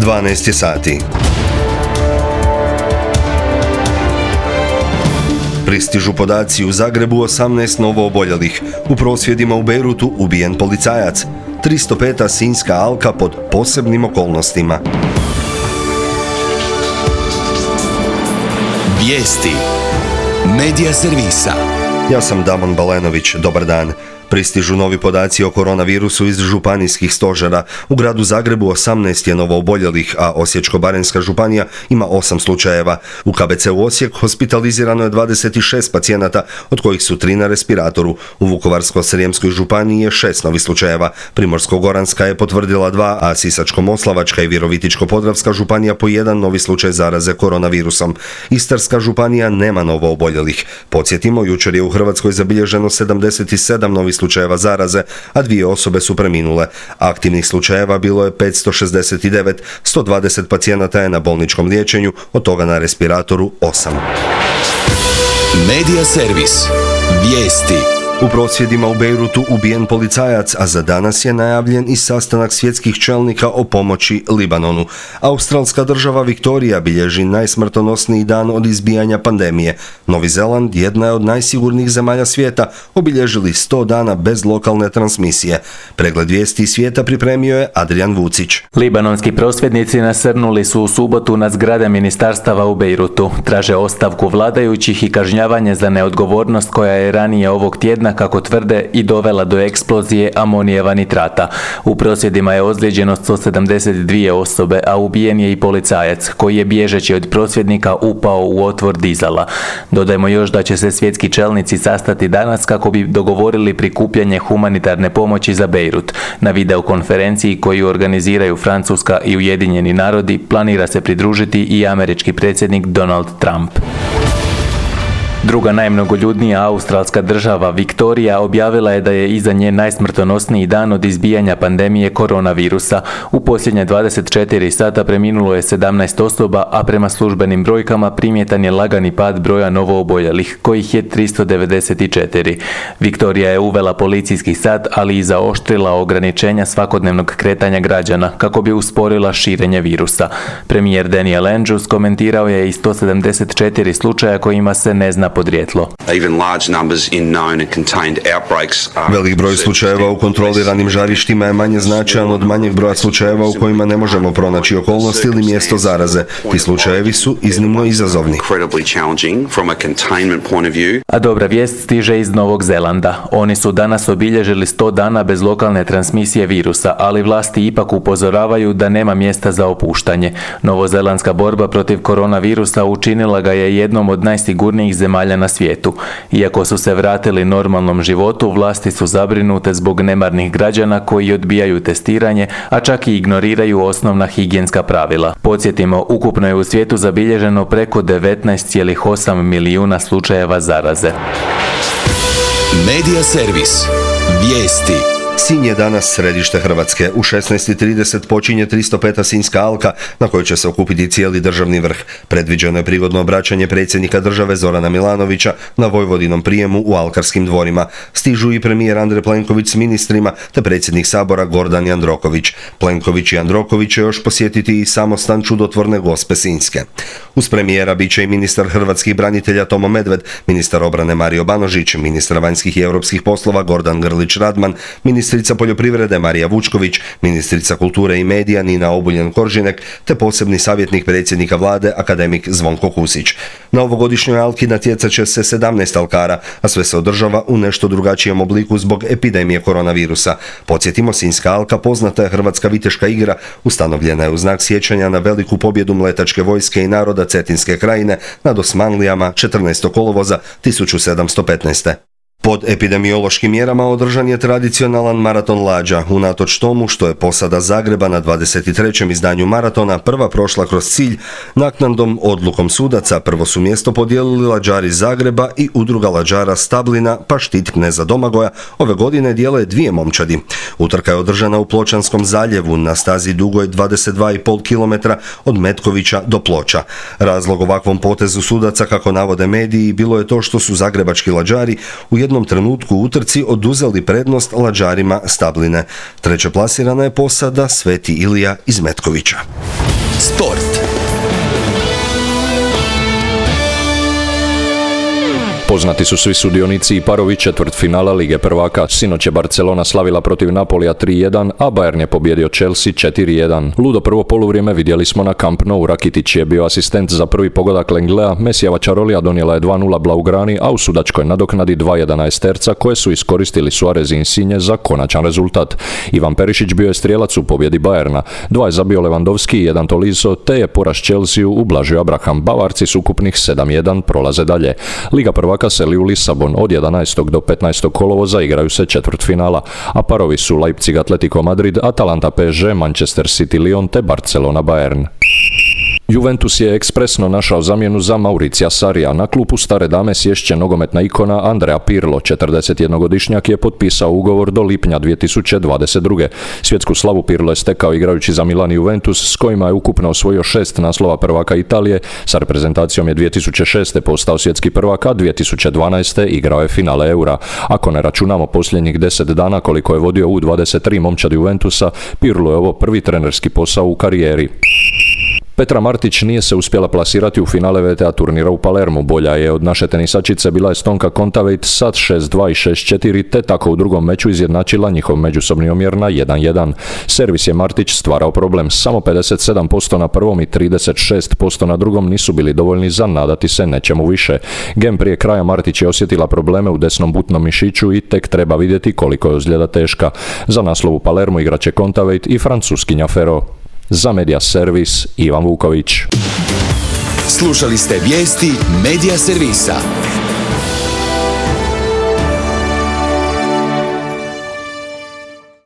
12 je sati. Pristižu podaci u Zagrebu 18 novooboljelih. U prosvjedima u Bejrutu ubijen policajac. 305. Sinjska alka pod posebnim okolnostima. Vijesti Medija servisa. Ja sam Damon Balenović, dobar dan. Pristižu novi podaci o koronavirusu iz županijskih stožera. U gradu Zagrebu 18 je novooboljelih, a Osječko-baranjska županija ima 8 slučajeva. U KBC-u Osijek hospitalizirano je 26 pacijenata, od kojih su 3 na respiratoru. U Vukovarsko-srijemskoj županiji je 6 novih slučajeva. Primorsko-goranska je potvrdila 2, a Sisačko-moslavačka i Virovitičko-podravska županija po 1 novi slučaj zaraze koronavirusom. Istarska županija nema novooboljelih. Podsjetimo, jučer je u Hrvatskoj zabilježeno 77 novih slučajeva zaraze, a 2 osobe su preminule. Aktivnih slučajeva bilo je 569, 120 pacijenata je na bolničkom liječenju, od toga na respiratoru 8. Medija servis. Vijesti. U prosvjedima u Bejrutu ubijen policajac, a za danas je najavljen i sastanak svjetskih čelnika o pomoći Libanonu. Australska država Viktorija bilježi najsmrtonosniji dan od izbijanja pandemije. Novi Zeland, jedna je od najsigurnijih zemalja svijeta, obilježili 100 dana bez lokalne transmisije. Pregled vijesti svijeta pripremio je Adrian Vucić. Libanonski prosvjednici nasrnuli su u subotu na zgrade ministarstava u Bejrutu. Traže ostavku vladajućih i kažnjavanje za neodgovornost koja je ranije ovog tjedna, kako tvrde, i dovela do eksplozije amonijeva nitrata. U prosvjedima je ozlijeđeno 172 osobe, a ubijen je i policajac, koji je bježeći od prosvjednika upao u otvor dizala. Dodajmo još da će se svjetski čelnici sastati danas kako bi dogovorili prikupljanje humanitarne pomoći za Bejrut. Na videokonferenciji koju organiziraju Francuska i Ujedinjeni narodi planira se pridružiti i američki predsjednik Donald Trump. Druga najmnogoljudnija australska država, Viktorija, objavila je da je iza nje najsmrtonosniji dan od izbijanja pandemije koronavirusa. U posljednje 24 sata preminulo je 17 osoba, a prema službenim brojkama primjetan je lagani pad broja novooboljelih, kojih je 394. Viktorija je uvela policijski sat, ali i zaoštrila ograničenja svakodnevnog kretanja građana, kako bi usporila širenje virusa. Premijer Daniel Andrews komentirao je i 174 slučaja kojima se ne zna podrijetlo. Velik broj slučajeva u kontroliranim žarištima je manje značajan od manjeg broja slučajeva u kojima ne možemo pronaći okolnosti ili mjesto zaraze. Ti slučajevi su iznimno izazovni. A dobra vijest stiže iz Novog Zelanda. Oni su danas obilježili 100 dana bez lokalne transmisije virusa, ali vlasti ipak upozoravaju da nema mjesta za opuštanje. Novozelandska borba protiv koronavirusa učinila ga je jednom od najsigurnijih zemalja na svijetu. Iako su se vratili normalnom životu, vlasti su zabrinute zbog nemarnih građana koji odbijaju testiranje, a čak i ignoriraju osnovna higijenska pravila. Podsjetimo, ukupno je u svijetu zabilježeno preko 19,8 milijuna slučajeva zaraze. Medija servis. Vijesti. Sinj je danas središte Hrvatske. U 16:30 počinje 305. Sinjska alka, na kojoj će se okupiti cijeli državni vrh. Predviđeno je prigodno obraćanje predsjednika države Zorana Milanovića na Vojvodinom prijemu u Alkarskim dvorima. Stižu i premijer Andrej Plenković s ministrima, te predsjednik Sabora Gordan Jandroković. Plenković i Jandroković će još posjetiti i samostan čudotvorne Gospe Sinjske. Uz premijera bit će i ministar hrvatskih branitelja Tomo Medved, ministar obrane Mario Banožić, ministar vanjskih i europskih poslova Gordan Grlić Radman, ministrica poljoprivrede Marija Vučković, ministrica kulture i medija Nina Obuljen-Koržinek, te posebni savjetnik predsjednika vlade akademik Zvonko Kusić. Na ovogodišnjoj alki natjecat će se 17 alkara, a sve se održava u nešto drugačijem obliku zbog epidemije koronavirusa. Podsjetimo, Sinjska alka poznata je hrvatska viteška igra, ustanovljena je u znak sjećanja na veliku pobjedu mletačke vojske i naroda Cetinske krajine nad Osmanlijama 14. kolovoza 1715. Pod epidemiološkim mjerama održan je tradicionalan maraton lađa, unatoč tomu što je posada Zagreba na 23. izdanju maratona prva prošla kroz cilj. Naknadnom odlukom sudaca prvo su mjesto podijelili lađari Zagreba i udruga lađara Stablina, pa štit kneza Domagoja ove godine dijele 2 momčadi. Utrka je održana u Pločanskom zaljevu na stazi dugoj 22,5 km od Metkovića do Ploča. Razlog ovakvom potezu sudaca, kako navode mediji, bilo je to što su zagrebački lađari u jednom trenutku u utrci oduzeli prednost lađarima Stabline. Treće plasirana je posada Sveti Ilija iz Metkovića. Sport. Poznati su svi sudionici i parovi četvrtfinala Lige prvaka. Sinoć je Barcelona slavila protiv Napolija 3-1, a Bayern je pobjedio Chelsea 4-1. Ludo prvo poluvrijeme vidjeli smo na Camp Nou. Rakitić je bio asistent za prvi pogodak Lenglea, Mesijeva čarolija donijela je 2-0 Blaugrani, a u sudačkoj nadoknadi 2-1 Esterca koje su iskoristili Suarez i Insigne za konačan rezultat. Ivan Perišić bio je strijelac u pobjedi Bayerna. 2 je zabio Lewandowski i 1 Tolisso, te je poraz Chelsea ublažio Abraham. Bavarci s ukupnih 7-1 prolaze dalje. Liga prvaka seli u Lisabon. Od 11. do 15. kolovoza igraju se četvrtfinala, a parovi su Leipzig Atletico Madrid, Atalanta PSG, Manchester City Lyon te Barcelona Bayern. Juventus je ekspresno našao zamjenu za Mauricija Sarrija. Na klupu stare dame sješće nogometna ikona Andrea Pirlo. 41-godišnjak je potpisao ugovor do lipnja 2022. Svjetsku slavu Pirlo je stekao igrajući za Milan i Juventus, s kojima je ukupno osvojio 6 naslova prvaka Italije. Sa reprezentacijom je 2006. postao svjetski prvak, a 2012. igrao je finale Eura. Ako ne računamo posljednjih 10 dana koliko je vodio U23 momčad Juventusa, Pirlo je ovo prvi trenerski posao u karijeri. Petra Martić nije se uspjela plasirati u finale VTA turnira u Palermu. Bolja je od naše tenisačice bila Estonka Kontaveit sa 6-2 i 6-4, te tako u drugom meču izjednačila njihov međusobni omjer na 1-1. Servis je Martić stvarao problem. Samo 57% na prvom i 36% na drugom nisu bili dovoljni za nadati se nečemu više. Gem prije kraja Martić je osjetila probleme u desnom butnom mišiću i tek treba vidjeti koliko je ozljeda teška. Za naslov u Palermu igraće Kontaveit i Francuskinja Ferro. Za Media Servis, Ivan Vuković. Slušali ste vijesti Media Servisa.